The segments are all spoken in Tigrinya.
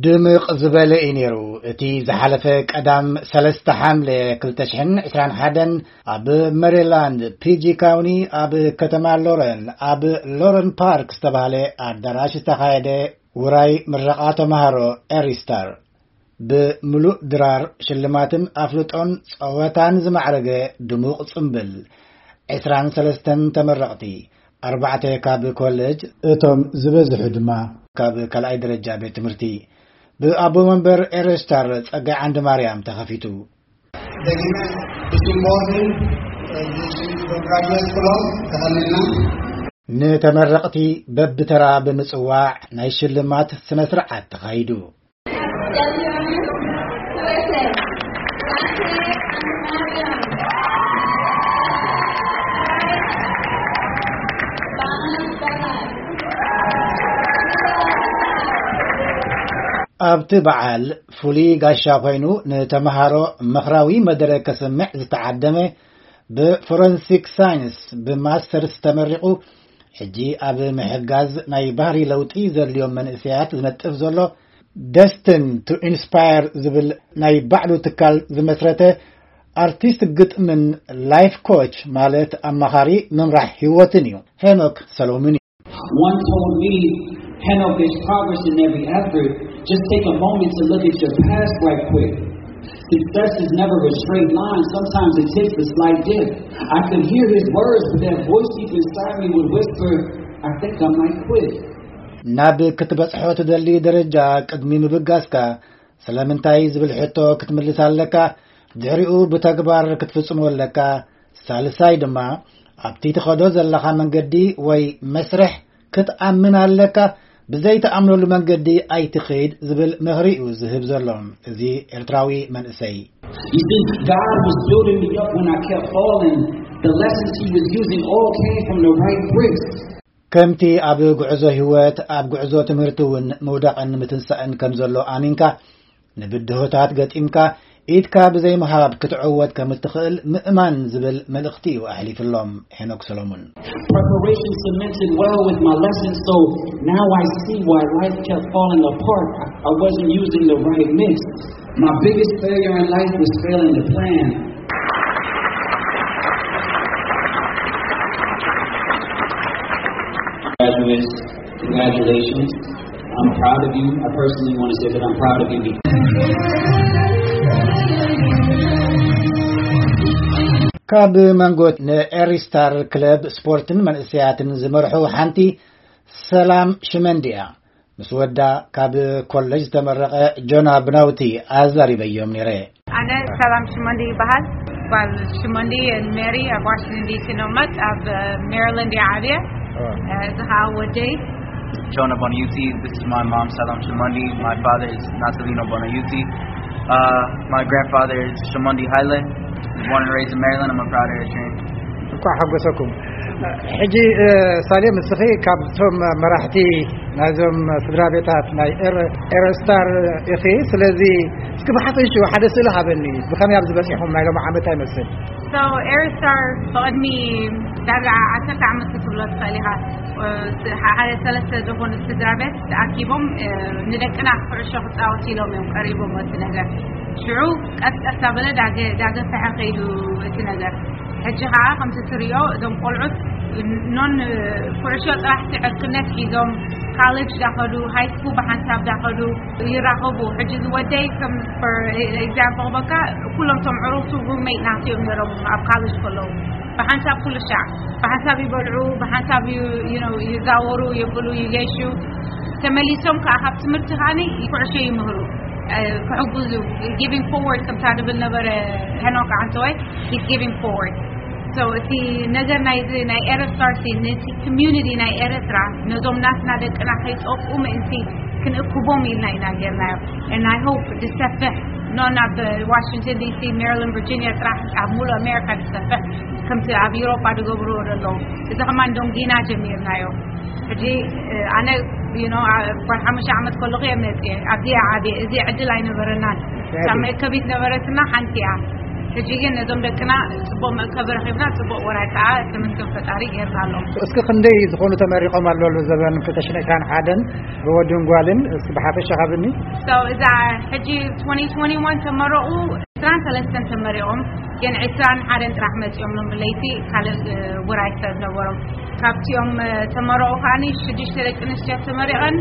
ድምቕ ዝበለ እዩ ነይሩ። እቲ ዝሓለፈ ቀዳም ሰለስተ ሓምለ ክልተ ሽሕን ዕስራን ሓደን ኣብ ሜሪላንድ ፒጂ ካውኒ ኣብ ከተማ ሎረን ኣብ ሎረን ፓርክ ዝተባህለ ኣዳራሽ ዝተኻየደ ውራይ ምረቓ ተምሃሮ ኤሪስታር ብምሉእ ድራር ሽልማትን ኣፍልጦን ጸወታን ዝማዕረገ ድሙቕ ጽምብል። ዕስራን ሰለስተን ተመረቕቲ፣ ኣርባዕተ ካብ ኮሌጅ፣ እቶም ዝበዝሑ ድማ ካብ ካልኣይ ደረጃ ቤት ትምህርቲ። ብኣቦ መንበር ኤረስታር ጸጋይ ዓንዲ ማርያም ተኸፊቱ። ደጊመ ብስም ቦርድን ብስም ግራጁዌት ኩሎም ተኸኒና። ንተመረቕቲ በብተራ ብምጽዋዕ ናይ ሽልማት ስነ ስርዓት ተኻይዱ። ኣብቲ በዓል ፍሉይ ጋሻ ኮይኑ ንተምሃሮ ምኽራዊ መደረ ከስምዕ ዝተዓደመ፣ ብፎረንሲክ ሳይንስ ብማስተርስ ተመሪቑ ሕጂ ኣብ ምሕጋዝ ናይ ባህሪ ለውጢ ዘድልዮም መንእሰያት ዝነጥፍ ዘሎ ደስትን ቱ ኢንስፓየር ዝብል ናይ ባዕሉ ትካል ዝመስረተ ኣርቲስት ግጥምን ላይፍ ኮች ማለት ኣማኻሪ ምምራሕ ህይወትን እዩ። ሄኖክ ሰሎሙን እዩ። One told me, Henok, there's progress in every effort. Just take a moment to look at your past right quick. Success is never a straight line. Sometimes it takes a slight dip. I could hear his words, but that voice deep inside me would whisper, I think I might quit. ናብ ክትበጽሖ ትደሊ ደረጃ ቅድሚ ምብጋስካ ስለምንታይ ዝብል ሕቶ ክትምልስ ኣለካ። ድሕሪኡ ብተግባር ክትፍጽሞ ኣለካ። ሳልሳይ ድማ ኣብቲ ትኸዶ ዘለኻ መንገዲ ወይ መስርሕ ክትኣምን ኣለካ። ብዘይትኣምነሉ መንገዲ ኣይትኸይድ ዝብል ምኽሪ እዩ ዝህብ ዘሎ እዚ ኤርትራዊ መንእሰይ። You see, God was building me up when I kept falling. The lessons he was using all came from the right bricks. ከምቲ ኣብ ጉዕዞ ህይወት፣ ኣብ ጉዕዞ ትምህርቲ እውን ምውዳቕን ምትንሳእን ከም ዘሎ ኣሚንካ፣ ንብድሆታት ገጢምካ፣ ኢድካ ብዘይምሃብ ክትዕወት ከም እትኽእል ምእማን ዝብል መልእኽቲ እዩ ኣሕሊፍሎም ሄኖክ ሰሎሙን። Preparation cemented well with my lessons, so now I see why life kept falling apart. I wasn't using the right mix. My biggest failure in life was failing to plan. Graduates, congratulations. I'm proud of you. I personally want to say that I'm proud of you. ካብ መንጎ ንኤሪስታር ክለብ ስፖርትን መንእሰያትን ዝመርሑ ሓንቲ ሰላም ሽመንዲ እያ። ምስ ወዳ ካብ ኮሌጅ ዝተመረቐ ጆና ብናውቲ ኣዛሪበዮም ነይረ። ኣነ ሰላም ሽመንዲ ይበሃል። ጓል ሽመንዲ ሜሪ ኣብ ዋሽንግተን ዲሲ ነው መጥ ኣብ ሜሪላንድ እየ ዓብየ። እዚ ከዓ ወደይ። Jonah Bonaiuti. This is my mom, Salam Shimondi. My father is Natalino Bonaiuti. Uh, my grandfather is Shimondi Haile. Born and raised in Maryland. I'm a proud Eritrean. እንኳዕ ሓጎሰኩም። ሕጂ ሳሌም፣ እስኺ ካብቶም መራሕቲ ናይዞም ስድራ ቤታት ናይ ኤረስታር ኢኺ። ስለዚ እስኪ ብሓፈሽኡ ሓደ ስእሊ ሃበኒ፣ ብኸመይ ኣብዚ በፂሕኹም? ናይ ሎም ዓመት ኣይመስል። So ኤረስታር ብቕድሚ ዳርጋ ዓሰርተ ዓመት ክትብሎ ትኽእል ኢኻ። ሓደ ሰለስተ ዝኾኑ ስድራ ቤት ተኣኪቦም ንደቅና ኩዕሾ ክፃወት ኢሎም እዮም ቀሪቦም እቲ ነገር። ሽዑ ቀስ ቀስ ኣበለ ዳገፈሐ ከይዱ እቲ ነገር። ሕጂ ከዓ ከምቲ ትሪኦ እዞም ቆልዑት ኖን ኩዕሾ ጥራሕ ዕርክነት ሒዞም ካሌጅ ዳኸዱ፣ ሃይ ስኩል ብሓንሳብ ዳኸዱ ይራኸቡ። ሕጂ ዝወደይ ከም ኤግዛምፕል በካ ኩሎም ቶም ዕሩቱ ሩሜት ናትዮም ነሮም ኣብ ካሌጅ ከለዉ ብሓንሳብ ኩሉ ሻዕ ብሓንሳብ ይበልዑ፣ ብሓንሳብ ይዛወሩ፣ ይብሉ፣ ይገሹ። ተመሊሶም ከዓ ካብ ትምህርቲ ከዓ ኩዕሾ ይምህሩ፣ ክሕጉዙ፣ ጊቪንግ ፎርወርድ ከምታ ድብል ነበረ ሄኖክ ዓንተወይ። He's giving forward. So እቲ ነገር ናይዚ ናይ ኤረስታርሲ ነቲ ኮሚዩኒቲ ናይ ኤረትራ ነዞም ናትና ደቅና ከይጠቁ ምእንቲ ክንእክቦም ኢልና ኢና ጌርናዮ። And I hope ዝሰፍሕ ኖን ኣብ ዋሽንግተን ዲሲ፣ ሜሪላንድ፣ ቨርጂኒያ ጥራሕ ኣብ ሙሉእ ኣሜሪካ ዝሰፍሕ ከምቲ ኣብ ዩሮፓ ዝገብርዎ ዘለዉ። እዚ ከማን ዶንጊና ጀሚርናዮ። ሕጂ ኣነ ጓል ሓሙሽተ ዓመት ከለኹ እየ መፅየ ኣብዚ ዓብየ። እዚ ዕድል ኣይነበረናን። እታ መእከቢት ነበረትና ሓንቲ እያ። ሕጂ ግን ነዞም ደቅና ጽቡቕ መእከቢ ረኺብና፣ ጽቡቕ ወራይ ከኣ ተመስገን ፈጣሪ ጌርና ኣለዉ። እስኪ ክንደይ ዝኾኑ ተመሪቖም ኣለዉ ዘበን ክልተ ሽሕን ዕስራን ሓደን ብወድን ጓልን? እስኪ ብሓፈሻ ካብኒ። So እዛ ሕጂ twenty twenty-one ተመረቑ ዕስራን ሰለስተን ተመሪቖም፣ ግን ዕስራን ሓደን ጥራሕ መጺኦም ሎም ብለይቲ ካልእ ውራይ ሰብ ነበሮም። ካብቲኦም ተመረቑ ከዓኒ ሽዱሽተ ደቂ ኣንስትዮ ተመሪቐን፣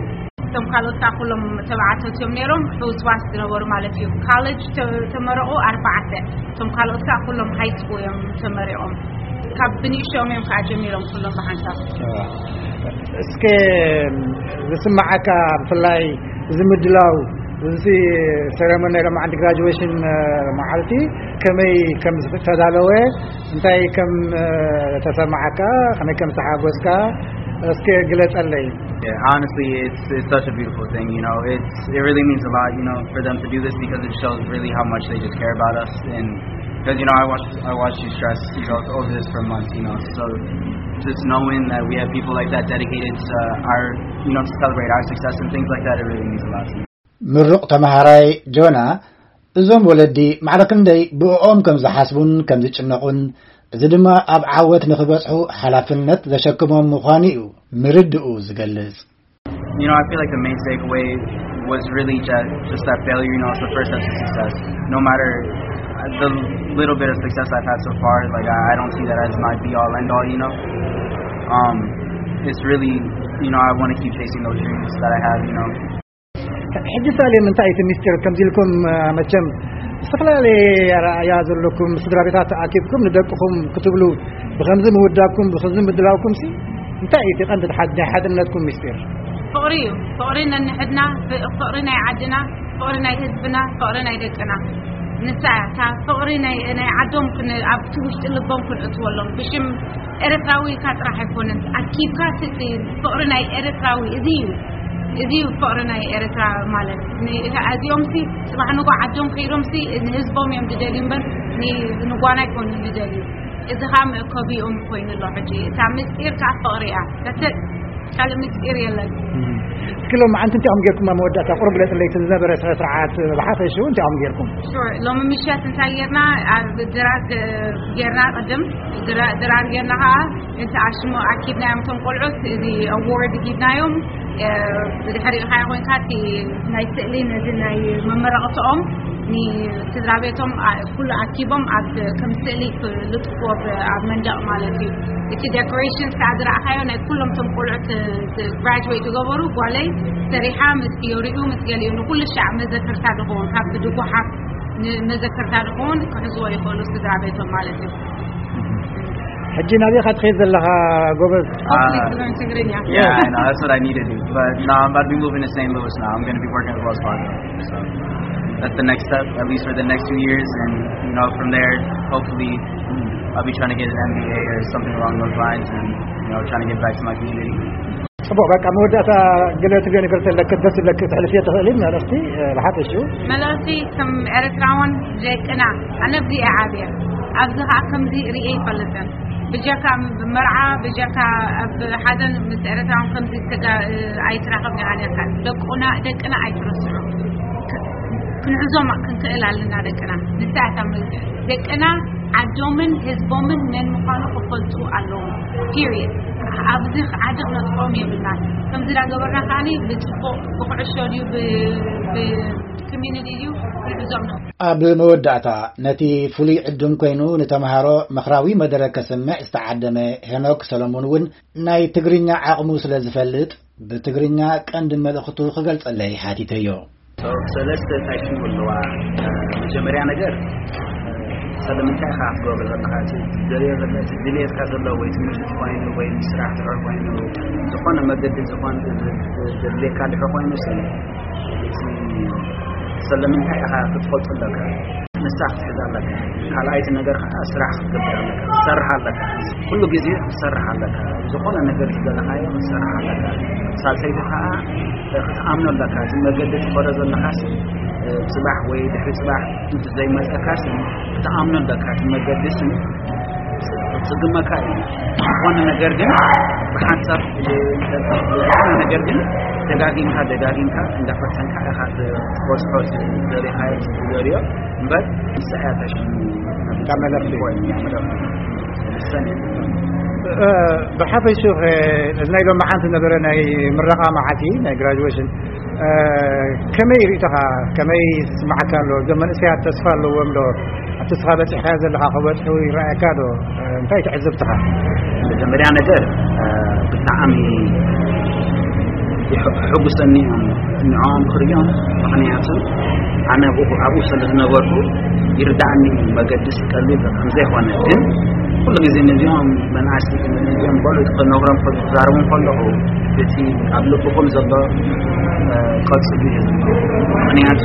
እቶም ካልኦት ከዓ ኩሎም ተባዕቶት እዮም ነይሮም፣ ሕውስዋስ ዝነበሩ ማለት እዩ። ካሌጅ ተ- ተመረቑ ኣርባዕተ፣ እቶም ካልኦት ከዓ ኩሎም ሃይ ስኩል እዮም ተመሪቖም። ካብ ብንእሽቶኦም እዮም ከዓ ጀሚሮም ኩሎም ብሓንሳብ። እስከ ዝስማዓካ ብፍላይ እዚ ምድላው እዚ ሴረሞኒ ናይ ሎማዓንቲ ግራጁዌሽን መዓልቲ ከመይ ከም ዝተዳለወ እንታይ ከም ተሰማዓካ ከመይ ከም ዝተሓጎስካ እስከ ግለጸለይ። Yeah, honestly, it's it's such a beautiful thing. You know, it's it really means a lot. You know, for them to do this because it shows really how much they just care about us. And because you know, I watched I watched you stress you know over this for months. You know, so just knowing that we have people like that dedicated to our you know to celebrate our success and things like that, it really means a lot to me. ምሩቕ ተመሃራይ ጆና፣ እዞም ወለዲ ማዕረ ክንደይ ብእኦም ከም ዝሓስቡን ከም ዝጭነቑን፣ እዚ ድማ ኣብ ዓወት ንኽበጽሑ ሓላፍነት ዘሸክሞም ምዃኑ እዩ ምርድኡ ዝገልጽ። You know, I feel like the main takeaway was really just, just that failure, you know, it's the first step to success. No matter the little bit of success I've had so far, like, I, I don't see that as my be all end all, you know. Um, it's really, you know, I want to keep chasing those dreams that I have, you know. ሕጂ ሳሌም እንታይ እቲ ሚስጢር ከምዚ ኢልኩም መቸም ዝተፈላለየ ኣረኣያ ዘለኩም ስድራ ቤታት ተኣኪብኩም ንደቅኹም ክትብሉ ብኸምዚ ምውዳብኩም ብኸምዚ ምድላውኩም ሲ እንታይ እዩ እቲ ቀንዲ ናይ ሓድነትኩም ሚስጢር? ፍቕሪ እዩ። ፍቕሪ ነንሕድና፣ ፍቕሪ ናይ ዓድና፣ ፍቕሪ ናይ ህዝብና፣ ፍቕሪ ናይ ደቅና። ንሳ እያ እታ ፍቕሪ ናይ ናይ ዓዶም ክን ኣብቲ ውሽጢ ልቦም ክንእትወሎም ብሽም ኤርትራዊ ኢልካ ጥራሕ ኣይኮነን ኣኪብካ ስእቲ ፍቕሪ ናይ ኤርትራዊ እዚ እዩ። እዚ እዩ ፍቕሪ ናይ ኤርትራ ማለት። እዚኦም ሲ ጽባሕ ንጎ ዓዶም ከይዶም ሲ ንህዝቦም እዮም ዝደልዩ እምበር ንጓና ኣይኮኑን ዝደልዩ። እዚ ከዓ መእከቢኦም ኮይኑ ኣሎ ሕጂ እታ ምስጢር ከዓ ፍቕሪ እያ። ካልእ ምስጢር የለን። እስኪ ሎም ዓንቲ እንታይ ኹም ጌርኩም ኣብ መወዳእታ ቁሩብ ግለጽለይ እቲ ዝነበረ ስነ ስርዓት ብሓፈሽኡ እንታይ ኹም ጌርኩም? ሎሚ ምሸት እንታይ ጌርና ኣብ ድራር ጌርና ቅድም ድራር ጌርና ከዓ እቲ ኣሽሙ ኣኪብናዮም እቶም ቆልዑት እዚ ኣዋርድ ሂብናዮም። ብድሕሪኡ ከዓ ኮይንካ እቲ ናይ ስእሊ ነዚ ናይ መመረቕትኦም ንስድራ ቤቶም ኩሉ ኣኪቦም ኣብ ከም ስእሊ ክልጥፍዎ ኣብ መንደቕ ማለት እዩ። እቲ ዴኮሬሽን ከዓ ዝረእኻዮ ናይ ኩሎም ቶም ቆልዑት ግራጅዌት ዝገበሩ ጓለይ ሰሪሓ ምስ ፊዮሪኡ ምስ ገሊኡ ንኩሉ ሻዕ መዘክርታ ዝኸውን ካብ ብድጉሓፍ መዘክርታ ዝኸውን ክሕዝዎ ይኽእሉ ስድራ ቤቶም ማለት እዩ። ሕጂ ናበይ ኢኻ ትኸይድ ዘለኻ ጎበዝ? ትግርኛ Yeah, I know. That's what I needed to do. But no, I'm about to be moving to Saint Louis now. I'm going to be working at Wells Fargo. So that's the next step, at least for the next two years. And, you know, from there, hopefully, I'll be trying to get an M B A or something along those lines and, you know, trying to get back to my community. ጽቡቕ በቃ መወዳእታ ገለ ትብዮ ነገር ተለክ ደስ ይብለክ ተሕልፍዮ ትኽእል መልእኽቲ ብሓፈሽኡ መልእኽቲ ከም ኤርትራውን ደቅና ኣነ ብዚ ዓብየ ኣብዚ ከዓ ከምዚ ርእየ ይፈልጥን ብጀካ መርዓ ብጀካ ኣብ ሓዘን ምስ ኤርትራውን ከምዚ ኣይትራኸብ ዲኻ ነርካ ደቁና ደቅና ኣይትረስዑ ክንዕዞም ክንክእል ኣለና ደቅና ንሳያታ ደቅና ዓዶምን ህዝቦምን መን ምዃኑ ክፈልጡ ኣለዎም period ኣብዚ ዓዲ ክነጥፍኦም የብልናን ከምዚ ዳገበርና ከዓኒ ብፅቡቕ ብኩዕሾ ድዩ ብኮሚኒቲ ድዩ ክንዕዞም ነው ኣብ መወዳእታ ነቲ ፍሉይ ዕዱም ኮይኑ ንተምሃሮ ምኽራዊ መደረ ከስምዕ ዝተዓደመ ሄኖክ ሰሎሞን እውን ናይ ትግርኛ ዓቕሙ ስለ ዝፈልጥ ብትግርኛ ቀንዲ መልእኽቱ ክገልጸለይ ሓቲተዮ። ሰለስተ እንታይ ሽሙ ኣለዋ? መጀመርያ ነገር ስለምንታይ ኢኻ ክትገብሮ ዘለኻ እቲ ዝደልዮ ዘሎ እቲ ድልየትካ ዘሎ ወይ ትምህርቲ ትኾይኑ ወይ ስራሕ ድሕር ኮይኑ ዝኾነ መገዲ ዝኾን ዘድልየካ ድሕር ኮይኑ ሲ እቲ ስለምንታይ ኢኻ ክትፈልጡ ኣለካ ንሳ ክትሕዝ ኣለካ ካልኣይቲ ነገር ከዓ ስራሕ ክትገብር ኣለካ ክትሰርሕ ኣለካ ኩሉ ግዜ ክትሰርሕ ኣለካ ዝኾነ ነገር ዝደለኻዮ ክትሰርሕ ኣለካ ሳልሰይቲ ከዓ ክትኣምኖ ኣለካ እቲ መገዲ ትኸዶ ዘለኻስ ፅባሕ ወይ ድሕሪ ፅባሕ እንተዘይመፀካስ ክትኣምኖ ኣለካ እቲ መገዲ ስም ክፅግመካ እዩ ዝኾነ ነገር ግን ብሓንሳብ ዝኾነ ነገር ግን ደጋጊምካ ደጋጊምካ እንዳፈተንካ ኢኻ ሆስፖስ ዘሪኻዮ ዘሪዮ እምበር ንስሓ ተሽሙ ካብ መለፍቲ። ወይ መለፍቲ። ሰኒ። ብሓፈሽኡ እዚ ናይ ሎም ሓንቲ ነበረ ናይ ምረቓ መዓልቲ ናይ ግራጁዌሽን ከመይ ርእቶኻ? ከመይ ስማዓካ ኣሎ? እዞም መንእሰያት ተስፋ ኣለዎም ዶ? ኣብቲ ስኻ በፂሕካ ዘለካ ክበፅሑ ይረኣየካ ዶ? እንታይ ትዕዝብትኻ? መጀመርያ ነገር ብጣዕሚ ሕጉሰኒ እዮም ንዕኦም ክርእዮም። ምክንያቱ ኣነ ኣብኡ ስለ ዝነበርኩ ይርዳእኒ። መገዲ ቀሊል ከምዘይኮነ ግን ኩሉ ግዜ ነዚኦም መናእሰይ ነዚኦም ቆልዑ ክነግሮም ክዛረቦም ከለኹ እቲ ኣብ ልብኹም ዘሎ ቀፅሉ እዩ። ምክንያቱ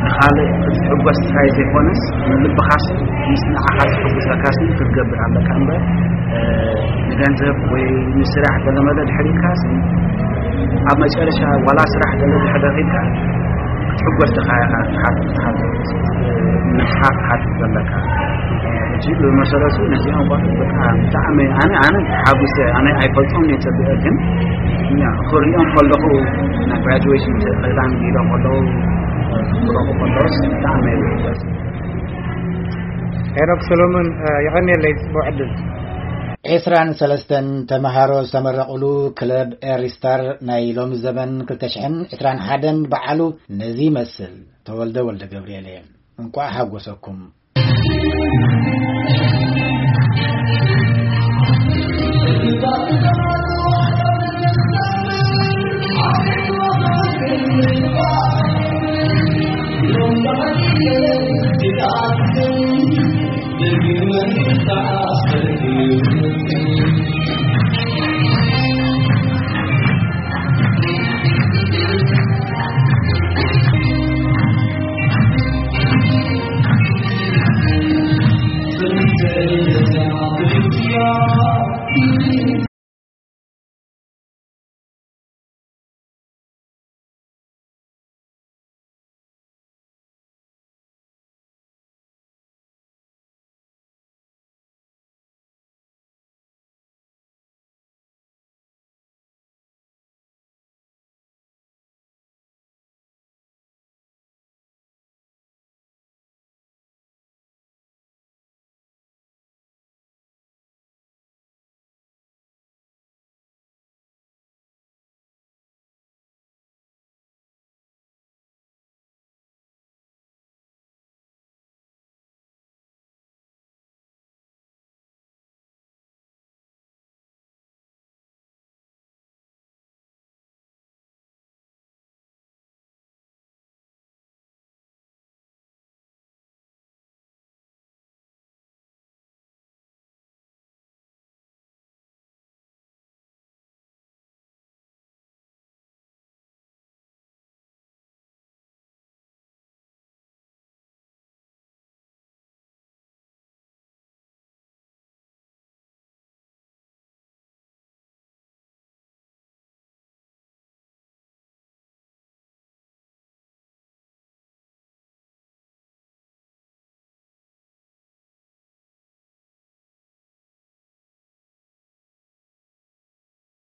ንኻልእ ክትሕጎስ ጥራይ ዘይኮነስ ንልብኻስ ምስ ንዓኻ ዝሕጉሰካስ ክትገብር ኣለካ እምበር ንገንዘብ ወይ ንስራሕ ገለመለ ድሕር ኢልካስ ኣብ መጨረሻ ዋላ ስራሕ ገለ ድሕር ኢልካ ክትሕጎስ ድኻ ኢኻ ትሓትት ነብስኻ ክትሓትት ዘለካ። ሕጂ ብመሰረቱ ነዚኦም ቆልዑ በቃ ብጣዕሚ ኣነ ኣነ ተሓጉሰ ኣነ ኣይፈልጦም እየ ጸቢቐ ግን ክሪኦም ከለኹ ናይ ግራጁዌሽን ክዳን ኢሎም ከለዉ ክረኹ ከለዎስ ብጣዕሚ እየ ዝሕጎስ። ሄኖክ ሰሎሞን የቐንየለይ ጽቡቕ ዕድል። ዕስራን ሰለስተን ተመሃሮ ዝተመረቑሉ ክለብ ኤሪስታር ናይ ሎሚ ዘበን ክልተ ሽሕን ዕስራን ሓደን በዓሉ ነዚ ይመስል። ተወልደ ወልደ ገብርኤል እየ። እንቋዕ ሓጎሰኩም።